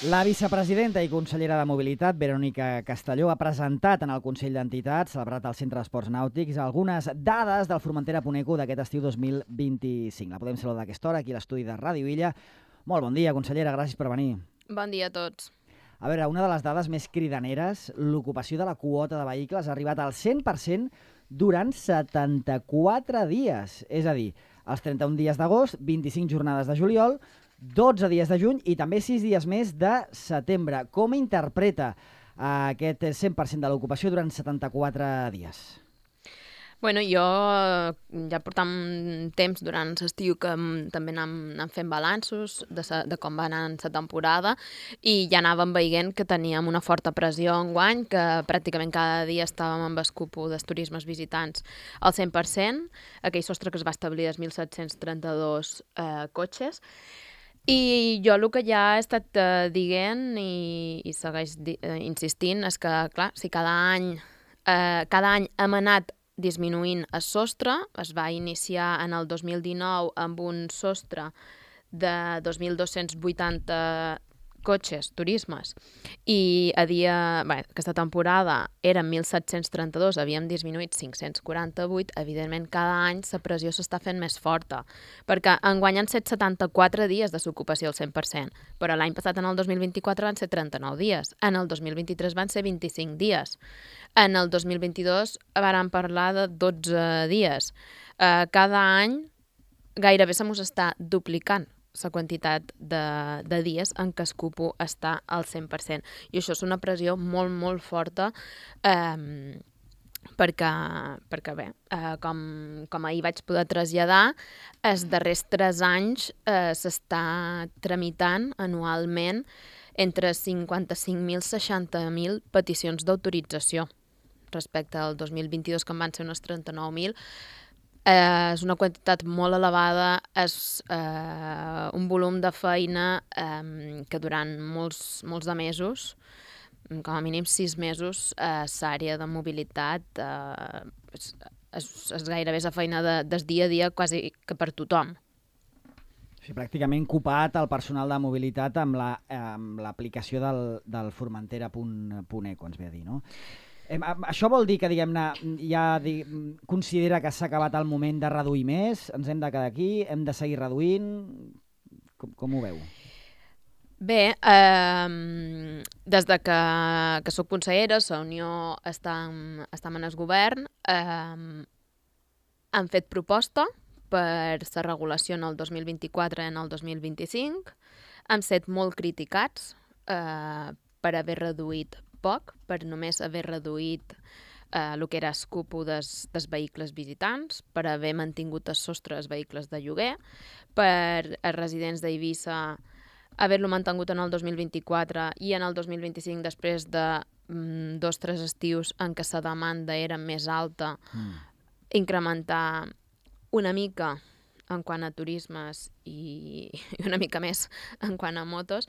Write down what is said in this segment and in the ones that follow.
La vicepresidenta i consellera de Mobilitat, Verònica Castelló, ha presentat en el Consell d'Entitats, celebrat al Centre d'Esports Nàutics, algunes dades del Formentera Puneco d'aquest estiu 2025. La podem saludar a aquesta hora aquí a l'estudi de Ràdio Illa. Molt bon dia, consellera, gràcies per venir. Bon dia a tots. A veure, una de les dades més cridaneres, l'ocupació de la quota de vehicles ha arribat al 100% durant 74 dies. És a dir, els 31 dies d'agost, 25 jornades de juliol, 12 dies de juny i també 6 dies més de setembre. Com interpreta aquest 100% de l'ocupació durant 74 dies? Bueno, jo ja portam temps durant l'estiu que també anàvem fent balanços de com va anar la temporada i ja anàvem veient que teníem una forta pressió enguany, que pràcticament cada dia estàvem amb el cupo dels turismes visitants al 100%, aquell sostre que es va establir dels 1.732 cotxes. I jo el que ja he estat dient i segueix insistint és que, clar, si cada any hem anat disminuint el sostre, es va iniciar en el 2019 amb un sostre de 2.280 cotxes, turismes, i aquesta temporada eren 1.732, havíem disminuït 548, evidentment cada any la pressió s'està fent més forta, perquè enguany han set 74 dies de s'ocupació al 100%, però l'any passat, en el 2024, van ser 39 dies, en el 2023 van ser 25 dies, en el 2022 vàrem parlar de 12 dies. Cada any gairebé se mos està duplicant la quantitat de dies en què el cupo està al 100%. I això és una pressió molt, molt forta perquè bé, com ahir vaig poder traslladar, els darrers 3 anys s'està tramitant anualment entre 55.000 i 60.000 peticions d'autorització respecte al 2022, que en van ser unes 39.000. És una quantitat molt elevada, és un volum de feina que durant molts de mesos, com a mínim 6 mesos, l'àrea de mobilitat és gairebé la feina del dia a dia quasi que per tothom. Sí, pràcticament copat el personal de mobilitat amb l'aplicació del Formentera.eco, ens ve a dir, no? Això vol dir que, diguem-ne, ja considera que s'ha acabat el moment de reduir més? Ens hem de quedar aquí? Hem de seguir reduint? Com ho veu? Bé, des de que soc consellera, la Unió estem en el govern, han fet proposta per la regulació en el 2024 i en el 2025. Han estat molt criticats per haver reduït poc, per només haver reduït el que era el cupo dels vehicles visitants, per haver mantingut el sostre dels vehicles de lloguer, per els residents d'Eivissa haver-lo mantingut en el 2024 i en el 2025, després de 2 o 3 estius en què la demanda era més alta, incrementar una mica en quant a turismes i una mica més en quant a motos.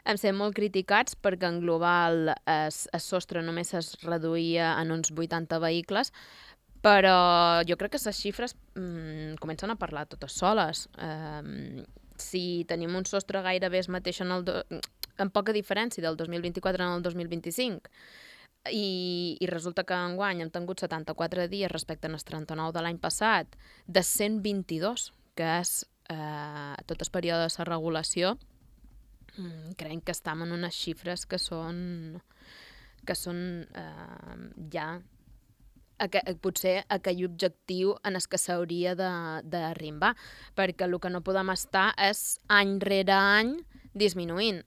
Hem estat molt criticats perquè en global el sostre només es reduïa en uns 80 vehicles, però jo crec que les xifres comencen a parlar totes soles. Si tenim un sostre gairebé el mateix amb poca diferència del 2024 en el 2025, i resulta que enguany hem tingut 74 dies respecte als 39 de l'any passat, de 122, que és tot el període de la regulació, crec que estem en unes xifres que són ja potser aquell objectiu en el que s'hauria d'arribar, perquè el que no podem estar és any rere any disminuint.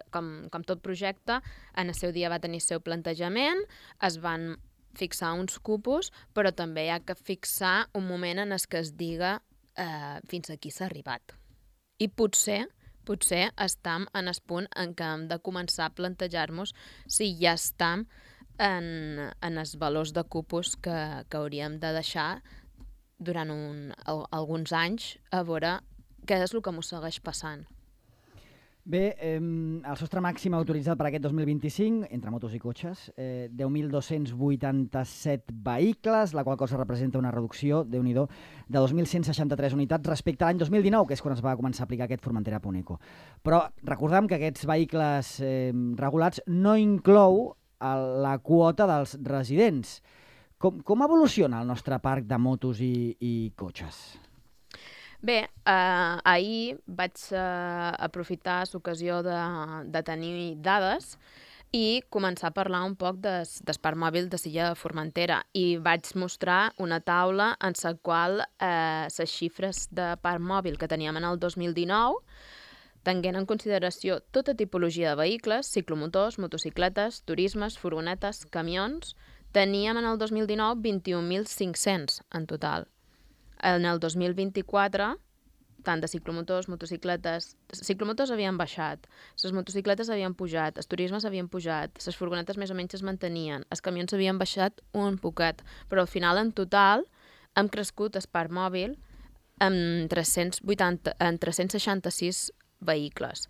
Com tot projecte, en el seu dia va tenir el seu plantejament, es van fixar uns cupos, però també hi ha que fixar un moment en el que es diga fins aquí s'ha arribat. I potser estem en el punt en què hem de començar a plantejar-nos si ja estem en els valors de cupos que hauríem de deixar durant alguns anys, a veure què és el que m'ho segueix passant. Bé, el sostre màxim autoritzat per aquest 2025, entre motos i cotxes, 10.287 vehicles, la qual cosa representa una reducció, Déu-n'hi-do, de 2.163 unitats respecte a l'any 2019, que és quan es va començar a aplicar aquest Formentera-Puneco. Però recordem que aquests vehicles regulats no inclou la quota dels residents. Com evoluciona el nostre parc de motos i cotxes? Bé, ahir vaig aprofitar l'ocasió de tenir dades i començar a parlar un poc del parc mòbil de Silla de Formentera i vaig mostrar una taula en la qual les xifres de parc mòbil que teníem en el 2019 tenint en consideració tota tipologia de vehicles, ciclomotors, motocicletes, turismes, furgonetes, camions, teníem en el 2019 21.500 en total. En el 2024, tant de ciclomotors, motocicletes... Ciclomotors havien baixat, les motocicletes havien pujat, els turismes havien pujat, les furgonetes més o menys es mantenien, els camions havien baixat un poquet, però al final, en total, hem crescut el parc mòbil en 366 vehicles.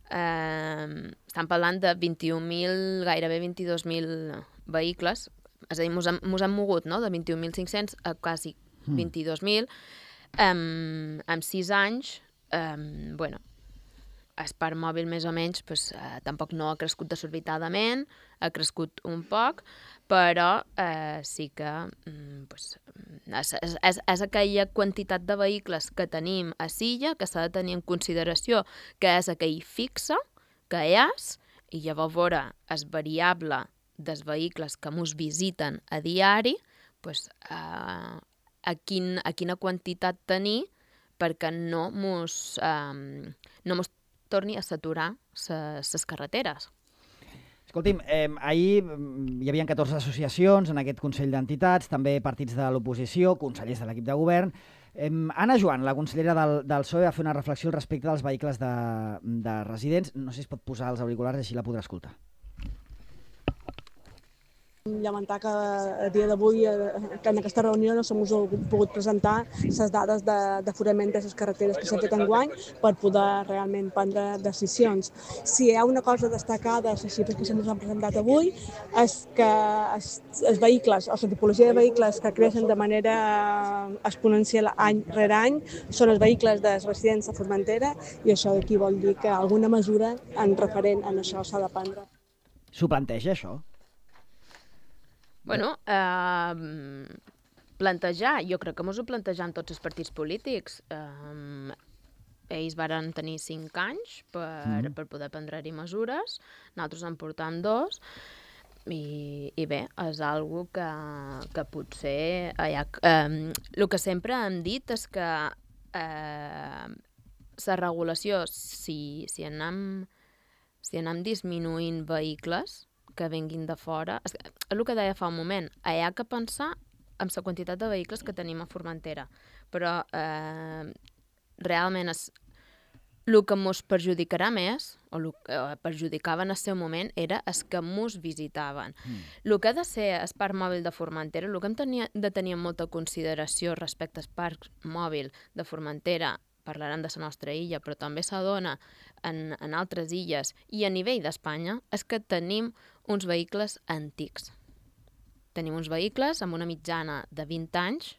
Estem parlant de 21.000, gairebé 22.000 vehicles, és a dir, mos hem mogut, no?, de 21.500 a quasi 22.000, en 6 anys, bueno, el parc mòbil més o menys tampoc no ha crescut desorbitadament, ha crescut un poc, però sí que és aquella quantitat de vehicles que tenim a Silla que s'ha de tenir en consideració que és aquell fixe que és, i llavors veure el variable dels vehicles que mos visiten a diari, a quina quantitat tenir perquè no mos torni a saturar les carreteres. Escolti'm, ahir hi havia 14 associacions en aquest Consell d'Entitats, també partits de l'oposició, consellers de l'equip de govern. Anna Joan, la consellera del PSOE, va fer una reflexió al respecte dels vehicles de residents. No sé si es pot posar els auriculars, així la podrà escoltar. Lamentar que a dia d'avui, que en aquesta reunió no s'hem pogut presentar les dades d'aforament de les carreteres que s'han fet enguany per poder realment prendre decisions. Si hi ha una cosa destacada de les xifres que se'ns han presentat avui és que els vehicles, o la tipologia de vehicles que creixen de manera exponencial any rere any són els vehicles dels residents de Formentera i això aquí vol dir que alguna mesura en referent a això s'ha de prendre. S'ho planteja, això? Bueno, plantejar, jo crec que mos ho plantejam tots els partits polítics. Ells varen tenir 5 anys per poder prendre-hi mesures, nosaltres en portam 2, i bé, és algo que potser... El que sempre hem dit és que la regulació, si anem disminuint vehicles que venguin de fora, és el que deia fa un moment, hi ha que pensar en la quantitat de vehicles que tenim a Formentera, però realment el que ens perjudicarà més, o el que perjudicava en el seu moment, era els que ens visitaven. El que ha de ser el parc mòbil de Formentera, el que hem de tenir en molta consideració respecte al parc mòbil de Formentera, parlarem de la nostra illa, però també s'adona en altres illes i a nivell d'Espanya, és que tenim uns vehicles antics. Tenim uns vehicles amb una mitjana de 20 anys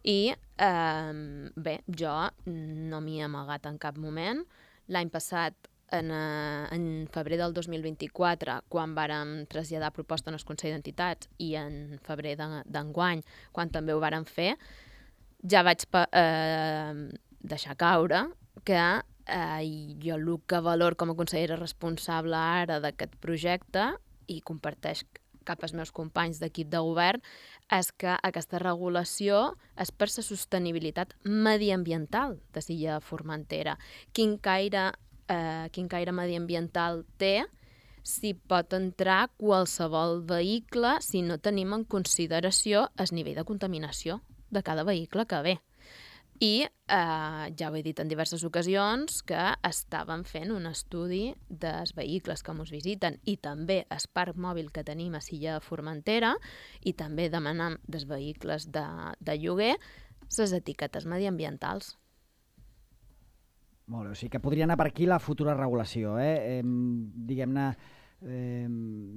i, bé, jo no m'hi he amagat en cap moment. L'any passat, en febrer del 2024, quan vàrem traslladar proposta en el Consell d'Entitats i en febrer d'enguany, quan també ho vàrem fer, ja vaig deixar caure que jo el que valor com a consellera responsable ara d'aquest projecte i comparteix cap als meus companys d'equip de govern és que aquesta regulació és per la sostenibilitat mediambiental de Silla de Formentera. Quin caire mediambiental té si pot entrar qualsevol vehicle si no tenim en consideració el nivell de contaminació de cada vehicle que ve. I ja ho he dit en diverses ocasions que estàvem fent un estudi dels vehicles que ens visiten i també el parc mòbil que tenim a Silla de Formentera i també demanant dels vehicles de lloguer les etiquetes mediambientals. Molt bé, o sigui que podria anar per aquí la futura regulació, diguem-ne,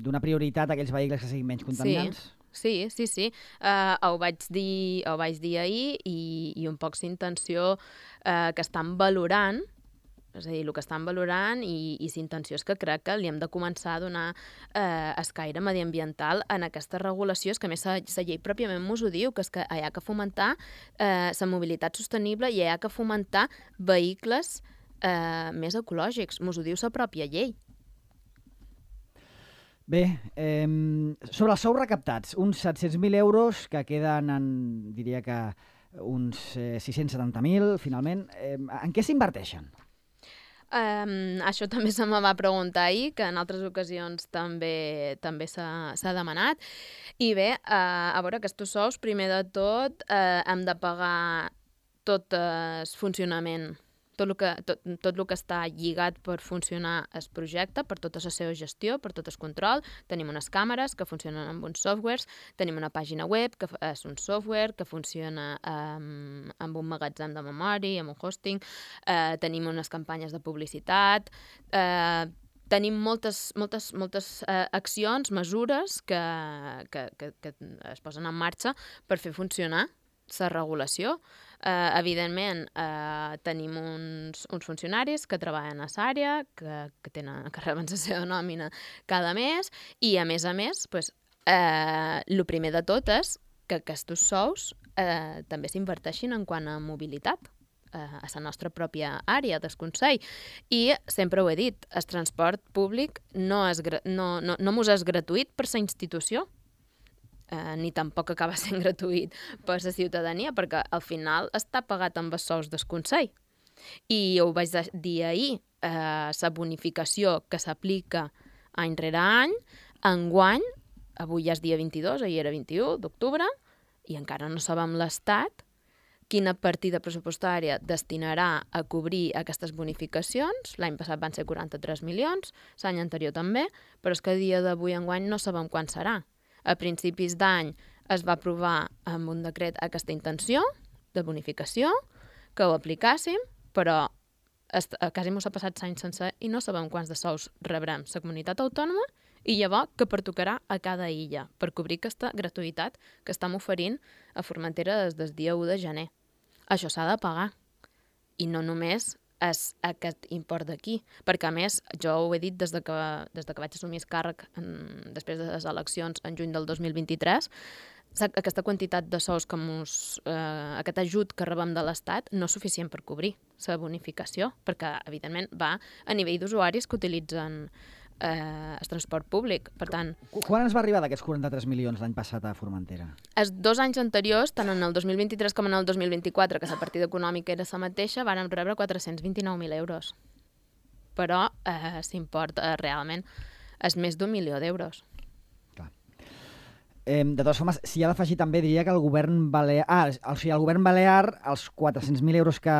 donar prioritat a aquells vehicles que siguin menys contaminants? Sí. Ho vaig dir ahir i un poc s'intenció que estan valorant, és a dir, el que estan valorant i l'intenció és que crec que li hem de començar a donar escaire mediambiental en aquesta regulació. És que a més la llei pròpiament mos ho diu, que és que hi ha que fomentar la mobilitat sostenible i hi ha que fomentar vehicles més ecològics. Mos ho diu la pròpia llei. Bé, sobre els sous recaptats, uns 700.000 euros que queden en, diria que uns 670.000, finalment. En què s'inverteixen? Això també se me va preguntar ahir, que en altres ocasions també s'ha demanat. I bé, a veure, aquests sous, primer de tot, hem de pagar tot el funcionament, tot el que està lligat per funcionar el projecte, per tota la seva gestió, per tot el control. Tenim unes càmeres que funcionen amb uns softwares, tenim una pàgina web que és un software que funciona amb un magatzem de memòria, amb un hosting, tenim unes campanyes de publicitat, tenim moltes accions, mesures que es posen en marxa per fer funcionar la regulació. Evidentment, tenim uns funcionaris que treballen a l'àrea, que reben la seva nòmina cada mes, i a més, el primer de tot és que aquests sous també s'inverteixin en quant a mobilitat a la nostra pròpia àrea del Consell. I sempre ho he dit, el transport públic no mos és gratuït per la institució, ni tampoc acaba sent gratuït per la ciutadania, perquè al final està pagat amb els sous del Consell. I ho vaig dir ahir, la bonificació que s'aplica any rere any, enguany, avui ja és dia 22, ahir era 21 d'octubre, i encara no sabem l'Estat quina partida pressupostària destinarà a cobrir aquestes bonificacions. L'any passat van ser 43 milions, l'any anterior també, però és que a dia d'avui enguany no sabem quan serà. A principis d'any es va aprovar amb un decret aquesta intenció de bonificació, que ho aplicàssim, però quasi m'ho s'ha passat l'any sencer i no sabem quants de sous rebrem la comunitat autònoma i llavors que pertocarà a cada illa per cobrir aquesta gratuïtat que estem oferint a Formentera des del dia 1 de gener. Això s'ha de pagar. I no només és aquest import d'aquí, perquè a més, jo ho he dit des de que vaig assumir el càrrec després de les eleccions en juny del 2023, aquesta quantitat de sous aquest ajut que rebem de l'Estat no és suficient per cobrir la bonificació, perquè evidentment va a nivell d'usuaris que utilitzen el transport públic. Per tant, quan ens va arribar d'aquests 43 milions l'any passat a Formentera? Els 2 anys anteriors, tant en el 2023 com en el 2024, que la partida econòmica era la mateixa, vàrem rebre 429.000 euros. Però l'import realment és més d'1 milió d'euros. Clar. De totes formes, s'hi ha d'afegir també, diria que el govern balear... el govern balear, els 400.000 euros que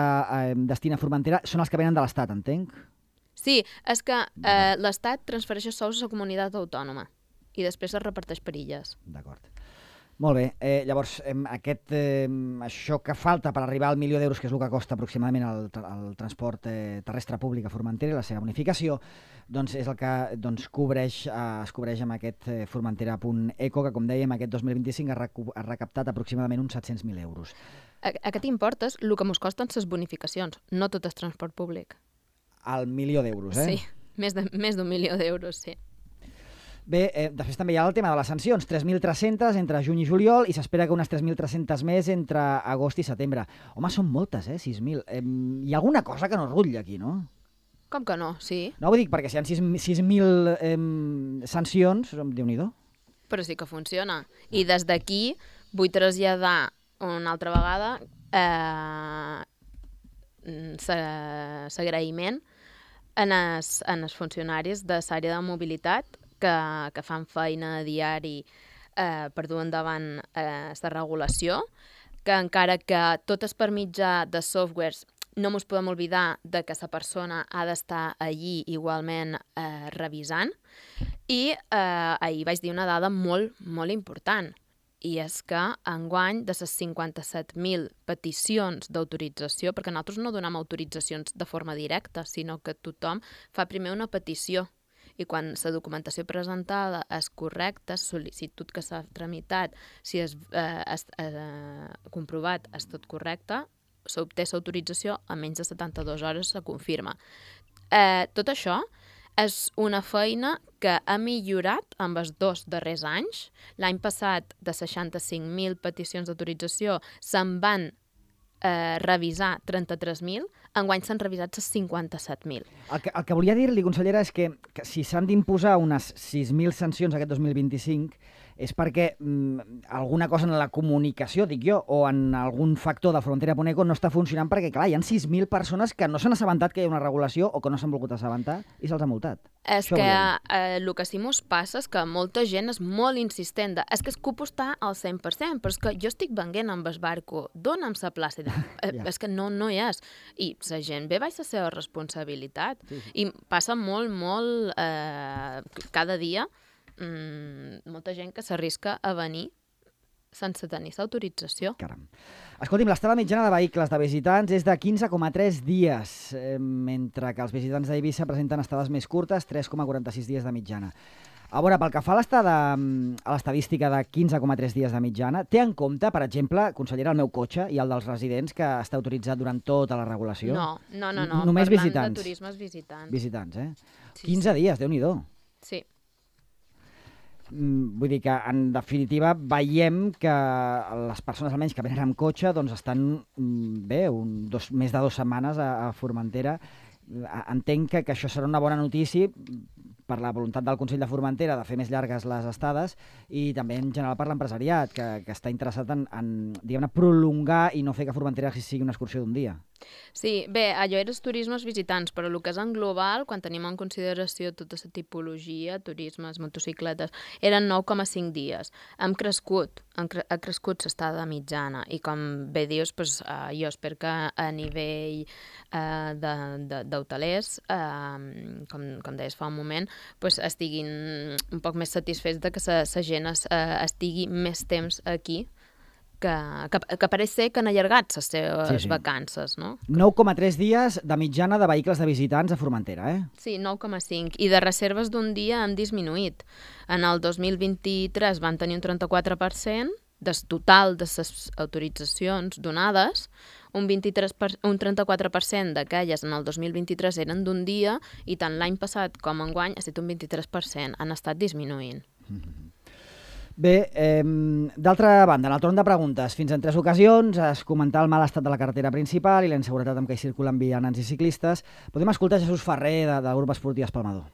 destina a Formentera són els que venen de l'Estat, entenc? Sí, és que l'Estat transfereix els sous a la comunitat autònoma i després es reparteix per illes. D'acord. Molt bé. Llavors, això que falta per arribar al 1 milió d'euros, que és el que costa aproximadament el transport terrestre públic a Formentera i la seva bonificació, doncs és el que es cobreix amb aquest Formentera.eco, que, com dèiem, aquest 2025 ha recaptat aproximadament uns 700.000 euros. Aquest import és el que ens costen les bonificacions, no tot el transport públic. Al 1 milió d'euros, Sí, més d'1 milió d'euros, sí. Bé, després també hi ha el tema de les sancions, 3.300 entre juny i juliol, i s'espera que unes 3.300 més entre agost i setembre. Home, són moltes, 6.000. Hi ha alguna cosa que no rutlla aquí, no? Com que no? Sí. No, vull dir, perquè si hi ha 6.000 sancions, Déu-n'hi-do. Però sí que funciona. I des d'aquí vull traslladar una altra vegada l'agraïment en els funcionaris de l'àrea de mobilitat que fan feina a diari per dur endavant aquesta regulació, que encara que tot és per mitjà de softwares, no ens podem oblidar de que la persona ha d'estar allí igualment revisant. I ahir vaig dir una dada molt, molt important, i és que enguany de les 57.000 peticions d'autorització, perquè nosaltres no donem autoritzacions de forma directa, sinó que tothom fa primer una petició i quan la documentació presentada és correcta, la sol·licitud que s'ha tramitat, si és comprovat, és tot correcte, s'obté l'autorització, a menys de 72 hores se confirma. Tot això és una feina que ha millorat en els 2 darrers anys. L'any passat, de 65.000 peticions d'autorització, se'n van revisar 33.000, enguany s'han revisat les 57.000. El que volia dir-li, consellera, és que si s'han d'imposar unes 6.000 sancions aquest 2025 és perquè alguna cosa en la comunicació, dic jo, o en algun factor de Frontera Poneco no està funcionant perquè, clar, hi ha 6.000 persones que no s'han assabentat que hi ha una regulació o que no s'han volgut assabentar i se'ls ha multat. És que el que sí mos passa és que molta gent és molt insistent. És que el cupo està al 100%, però és que jo estic venguent amb el barco, dona'm la plaça. És que no hi és. I la gent ve baix la seva responsabilitat. Sí. I passa molt, cada dia, molta gent que s'arrisca a venir sense tenir l'autorització. Caram. Escolti'm, l'estada mitjana de vehicles de visitants és de 15,3 dies, mentre que els visitants d'Eivissa presenten estades més curtes, 3,46 dies de mitjana. A veure, pel que fa a l'estadística de 15,3 dies de mitjana, té en compte, per exemple, consellera, el meu cotxe i el dels residents que està autoritzat durant tota la regulació? No. Només parlant visitants. De turismes visitants. Visitants, eh? Sí, 15 dies, Déu-n'hi-do. Sí. Vull dir que, en definitiva, veiem que les persones, almenys, que venen amb cotxe, doncs estan bé, més de 2 setmanes a Formentera. Entenc que això serà una bona notícia per la voluntat del Consell de Formentera de fer més llargues les estades i també en general per l'empresariat, que està interessat en diguem-ne, prolongar i no fer que Formentera sigui una excursió d'un dia. Sí, bé, allò eren turismes visitants, però el que és en global, quan tenim en consideració tota la tipologia, turismes, motocicletes, eren 9,5 dies. Ha crescut l'estada mitjana i com bé dius, jo espero que a nivell d'hotelers, com deies fa un moment, estiguin un poc més satisfets de que la gent estigui més temps aquí, que pareix ser que han allargat les seves vacances, no? 9,3 dies de mitjana de vehicles de visitants a Formentera, eh? Sí, 9,5. I de reserves d'un dia han disminuït. En el 2023 van tenir un 34% del total de les autoritzacions donades, un 34% d'aquelles en el 2023 eren d'un dia i tant l'any passat com enguany ha estat un 23%. Han estat disminuint. Bé, d'altra banda, en el torn de preguntes, fins en 3 ocasions es comentà el mal estat de la carretera principal i la inseguretat amb què hi circulen vianants i ciclistes. Podem escoltar Jesús Ferrer, del grup esportiu Espalmador.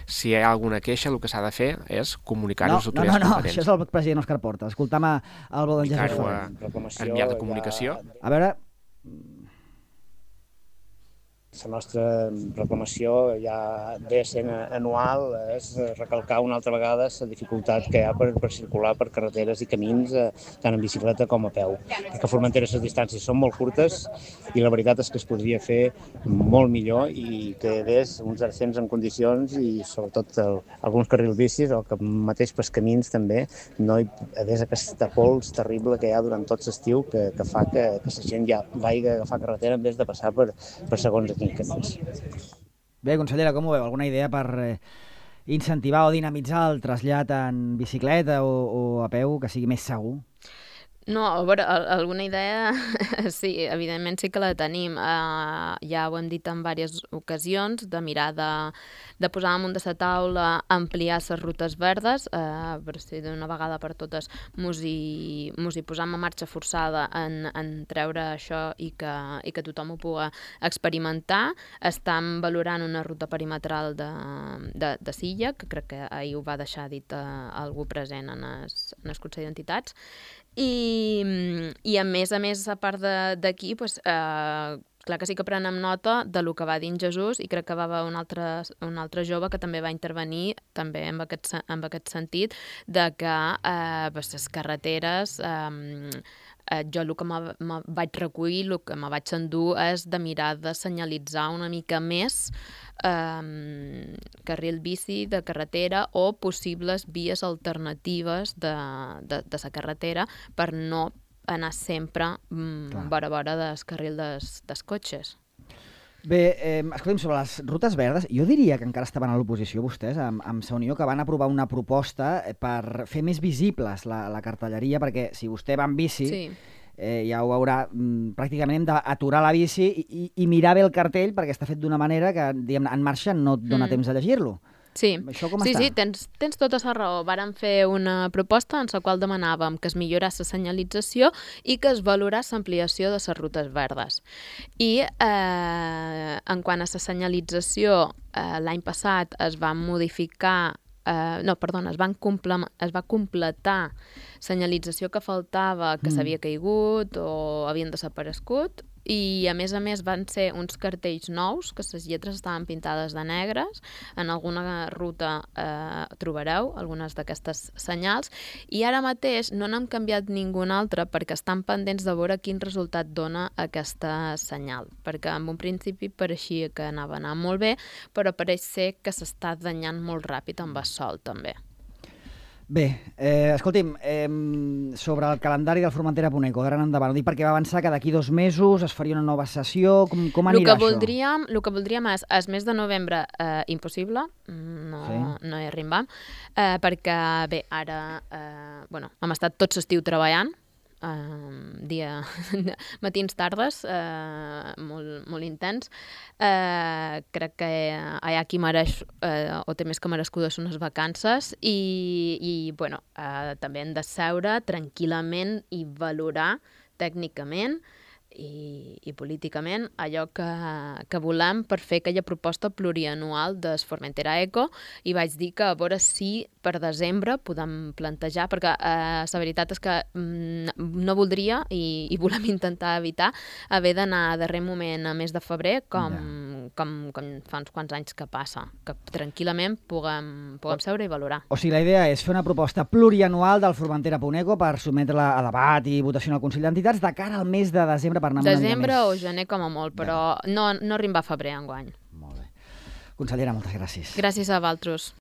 Si hi ha alguna queixa, el que s'ha de fer és comunicar-ho als autoritats competents. Això és el president Òscar Porta. Escoltam el bo d'en Jesús Ferrer. Enviar de comunicació. A veure... La nostra reclamació ja ve sent anual, és recalcar una altra vegada la dificultat que hi ha per circular per carreteres i camins, tant en bicicleta com a peu. Perquè a Formentera les distàncies són molt curtes i la veritat és que es podria fer molt millor i que hi hagués uns ascens en condicions i sobretot alguns carrils bicis o que mateix pels camins també no hi hagués aquesta pols terrible que hi ha durant tot l'estiu que fa que la gent ja vagi a agafar carretera en vez de passar per segons aquí. Bé, consellera, com ho veu? Alguna idea per incentivar o dinamitzar el trasllat en bicicleta o a peu que sigui més segur? No, a veure, alguna idea, sí, evidentment sí que la tenim. Ja ho hem dit en diverses ocasions, de mirar de posar damunt de la taula, ampliar les rutes verdes, per si d'una vegada per totes mos hi posam en marxa forçada en treure això i que tothom ho pugui experimentar. Estem valorant una ruta perimetral de Silla, que crec que ahir ho va deixar dit algú present en el Consell d'Entitats, i a més, a part d'aquí, clar que sí que prenem nota de lo que va dir en Jesús i crec que va haver un altre jove que també va intervenir també en aquest sentit de que les carreteres jo el que me vaig recollir, el que me vaig endur és de mirar de senyalitzar una mica més carril bici de carretera o possibles vies alternatives de la carretera per no anar sempre vora del carril dels cotxes. Bé, escolta'm, sobre les rutes verdes, jo diria que encara estaven a l'oposició vostès, amb Sa Unió, que van aprovar una proposta per fer més visibles la cartelleria, perquè si vostè va en bici, ja ho veurà, pràcticament hem d'aturar la bici i mirar bé el cartell, perquè està fet d'una manera que, diguem, en marxa no et dona temps a llegir-lo. Sí, està? Tens tota la raó. Vàrem fer una proposta en la qual demanàvem que es millorés la senyalització i que es valorés l'ampliació de les rutes verdes. I en quant a la senyalització, l'any passat es va modificar es va completar senyalització que faltava, que s'havia caigut o havien desaparegut, i a més van ser uns cartells nous, que les lletres estaven pintades de negres. En alguna ruta trobareu algunes d'aquestes senyals, i ara mateix no n'hem canviat ninguna altra perquè estan pendents de veure quin resultat dona aquesta senyal, perquè en un principi pareixia que anava anant molt bé, però pareix ser que s'està danyant molt ràpid amb el sol també. Bé, escolti'm, sobre el calendari del Formentera Puneco, d'ara en endavant, ho dic perquè va avançar que d'aquí 2 mesos es faria una nova sessió, com anirà això? El que voldríem és, el mes de novembre, impossible, no hi arribam, perquè, bé, ara hem estat tot l'estiu treballant, matins, tardes, molt intens. Crec que hi ha qui mereix o té més que merescudes unes vacances i també hem de seure tranquil·lament i valorar tècnicament i políticament allò que volem per fer aquella proposta plurianual del Formentera Eco, i vaig dir que a veure si per desembre podem plantejar, perquè la veritat és que no voldria i volem intentar evitar haver d'anar a darrer moment a mes de febrer com fa uns quants anys que passa, que tranquil·lament puguem seure i valorar. O sigui, la idea és fer una proposta plurianual del Formentera Puneco per sotmetre-la a debat i votació en el Consell d'Entitats de cara al mes de desembre per anar una mica més. Desembre o gener com a molt, però no arribar a febrer enguany. Molt bé. Consellera, moltes gràcies. Gràcies a vosaltres.